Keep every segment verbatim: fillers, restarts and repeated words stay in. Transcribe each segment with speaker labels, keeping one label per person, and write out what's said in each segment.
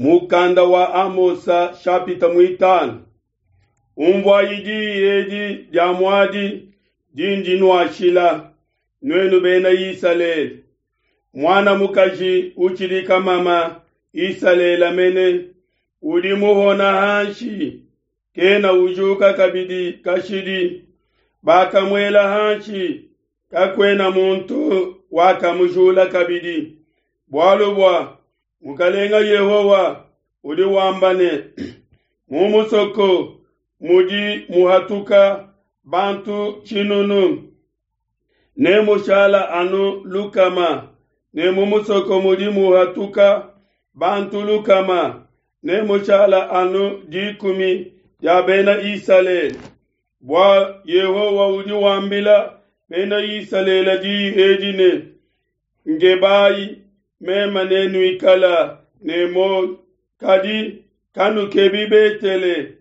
Speaker 1: Mukanda wa Amosa shapita mwitano. Umvuayi diyi edi dia muadi dindi nuashila, nuenu bena Isalele. Muana mukaji utshidi kamama Isalele mene, udi muhona hanshi, kena ujuka kabidi kashidi. Bakamuela hanshi, kakuena muntu wakamujula kabidi. Bualu bua Mukalenga Yehowa udi wamba ne, mu musoko mudi muhatuka bantu tshinunu, ne mushala anu lukama, ne mu musoko mudi muhatuka bantu lukama, ne mushala anu dikumi dia Bena Isalele. Bua Yehowa udi wambila Bena Isalele diyi edi ne, Ngebayi meme ne nuikala ne muoyo, kadi kanukebi Betele,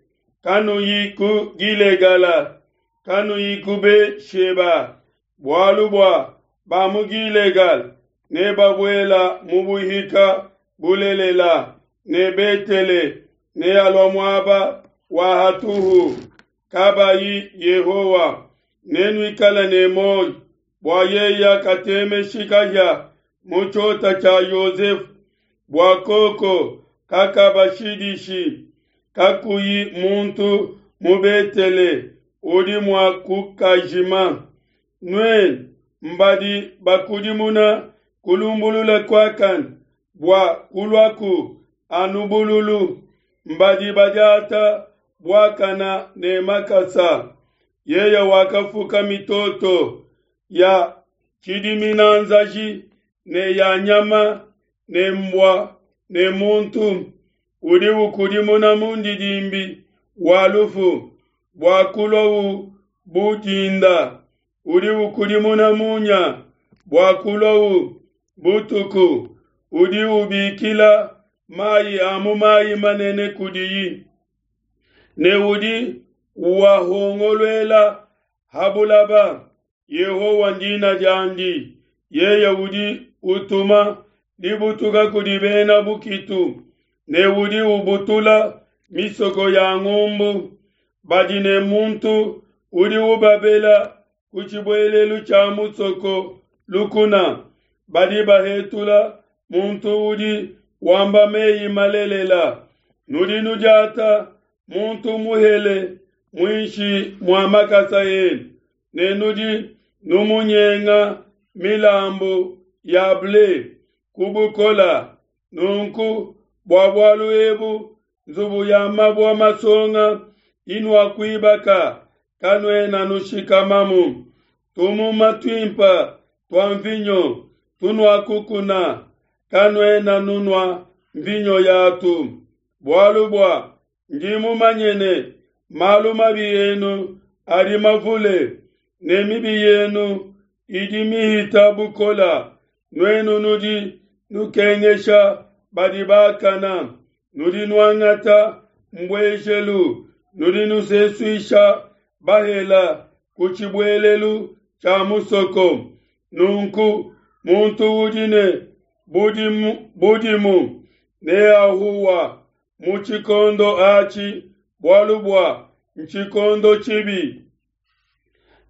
Speaker 1: kanuyi ku Gilegala, kanuyi ku Be-sheba, bualu bua ba mu Gilegala nebabuela mu buhika bulelela, ne Betele nealua muaba wa hatuhu. Kabayi Yehowa, nenuikale ne muoyo, bua yeye katemeshi kahia mu tshiota tshia Yosefe, bua koko kakabashidishi, kakuyi muntu mu Betele udi mua kukajima. Nuenu mbadi bakudimuna kulumbulula kuakane bua kuluaku anu bululu, mbadi badiata buakana ne makasa. Yeye wakafuka mitoto ya tshidiminanzaji ne ya nyama ne mbua ne muntu, udi ukudimuna mundidimbi wa lufu bua kuluawu bu dinda, udi ukudimuna munya bua kuluawu butuku, udi ubikila mayi a mu mayi manene kudiyi, ne udi uwahongoluela ha bulaba. Yehowa ndina diandi. Yeye udi utuma dibutuka kudi bena bukitu, ne udi ubutula misoko ya ngumbu. Badi ne muntu udi ubabela ku tshibuelelu tshia musoko lukuna, badi bahetula muntu udi wamba meyi malelela. Nudi nudiata muntu muhele muinshi mua makasa enu, ne nudi numunyenga milambu ya ble ku bukola. Nunku bua bualu ebu nzubu ya mabue masonga inuakuibaka kanuena nushikamamu. Tumuma tuimpe tua mvinyo tunuakukuna kanuena nunua mvinyo yatu. Bualu bua ndi mumanye ne malu mabi enu adi mavule, ne mibi yenu idi mihita bukola. Nuenu nudi nukengesha badi bakana, nudi nuangata mbuejelu, nudi nusesuisha bahela ku tshibuelelu tshia musoko. Nunku muntu udi ne budimu, budimu neahuwa mu tshikondo atshi, bualu bua ntshikondo tshibi.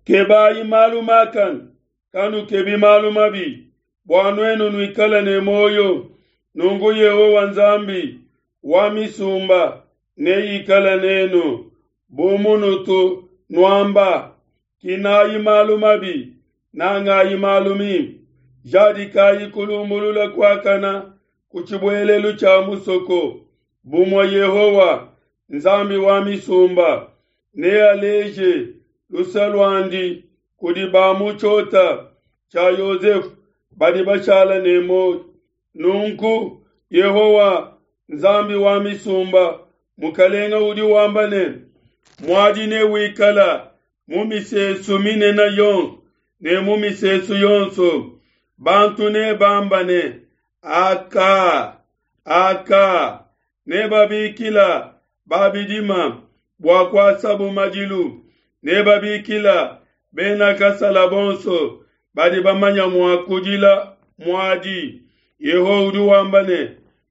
Speaker 1: Kebayi malu makane, kanukebi malu mabi, bua nuenu nuikale ne muoyo. Nunku Yehowa Nzambi wa misumba neikale nenu, bu munutu nuamba. Kinayi malu mabi, nangayi malu mimpe, jadikayi kulumbulula kuakana ku tshibuelelu tshia musoko. Bumue Yehowa Nzambi wa misumba nealeje luse luandi kudi ba mu tshiota tshia Yosefe badi bashala ne muoyo. Nunku Yehowa Nzambi wa misumba Mukalenga udi wamba ne, muadi newikala mu misesu minene yonso ne mu misesu yonso. Bantu nebamba ne, aka aka, nebabikila babidima bua kuasabu madilu, nebabikila bena kasala bonso badi bamanya mua kudila muadi. Yehowa udi wamba ne,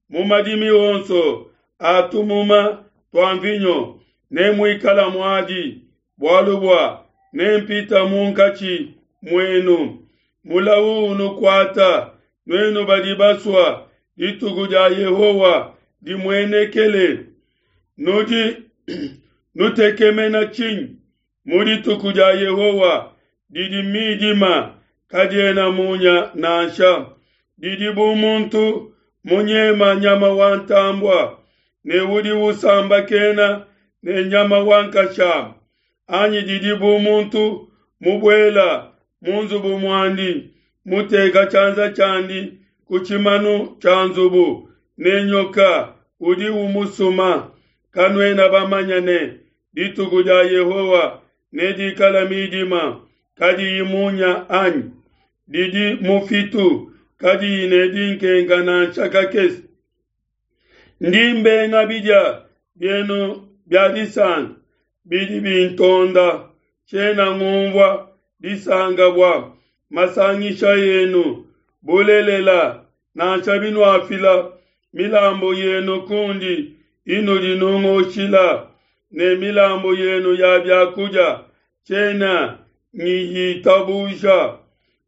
Speaker 1: Mu madimi onso a tumuma tua mvinyo nemuikale muadi, bualu bua nempite munkatshi muenu. Mulawu unukuate, nuenu badi basua dituku dia Yehowa dimuenekele! Nudi nutekemena tshinyi mu dituku dia Yehowa didi midima, kadiena munya nansha. Didi bu muntu munyema nyama wa ntambue, ne udi usambakena ne nyama wa nkashama, anyi didi bu muntu mubuela mu nzubu muandi, muteka tshianza tshiandi ku tshimanu tshia nzubu, ne nyoka udi umusuma. Kanuena bamanye ne, dituku dia Yehowa nedikale midima, kadiyi munya anyi? Didi mufitu, kadiyi ne dinkenka nansha kakese. Ndi mbenga bidia bienu bia disanka bidi bintonda, tshiena ngumvua disanka bua masangisha enu. Bulelela, nansha binuafila milambu yenu kundi inudi nungoshila, ne milambu yenu ya bia kudia, tshiena ngiyitabuja.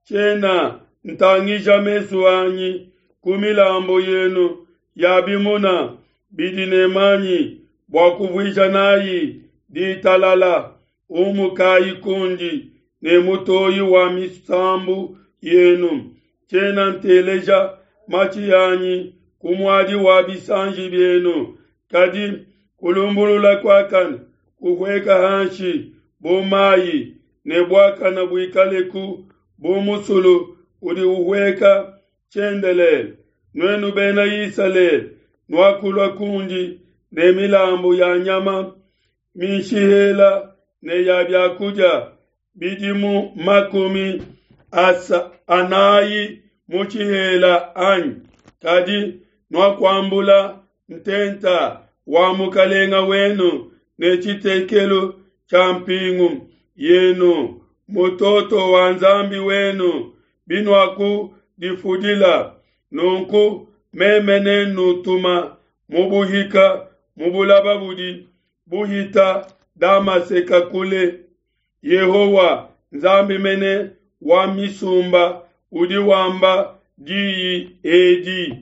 Speaker 1: Tshiena ntangija mesu anyi ku milambu yenu ya bimuna bidi ne manyi bua kuvuija nayi ditalala. Umukayi kundi ne mutoyi wa misambu yenu. Tshiena nteleja matshi anyi ku muadi wa bisanji bienu. Kadi kulumbulula kuakane kuhueka hanshi bu mayi, ne buakane buikaleku bu musulu udi uhueka tshiendelele. Nuenu Bena Isalele, nuakulua kundi ne milambu ya nyama minshihela ne ya bia kudia bidimu makumi asa anayi mu tshihela anyi? Kadi nuakuambula ntenta wa mukalenga wenu ne tshitekelu tshia mpingu yenu, mutoto wa nzambi wenu, binuakudifudila. Nunku meme nennutuma mu buhika mu bulaba budi buhita Damaseke kule. Yehowa, Nzambi mene wa misumba, udi wamba diyi edi.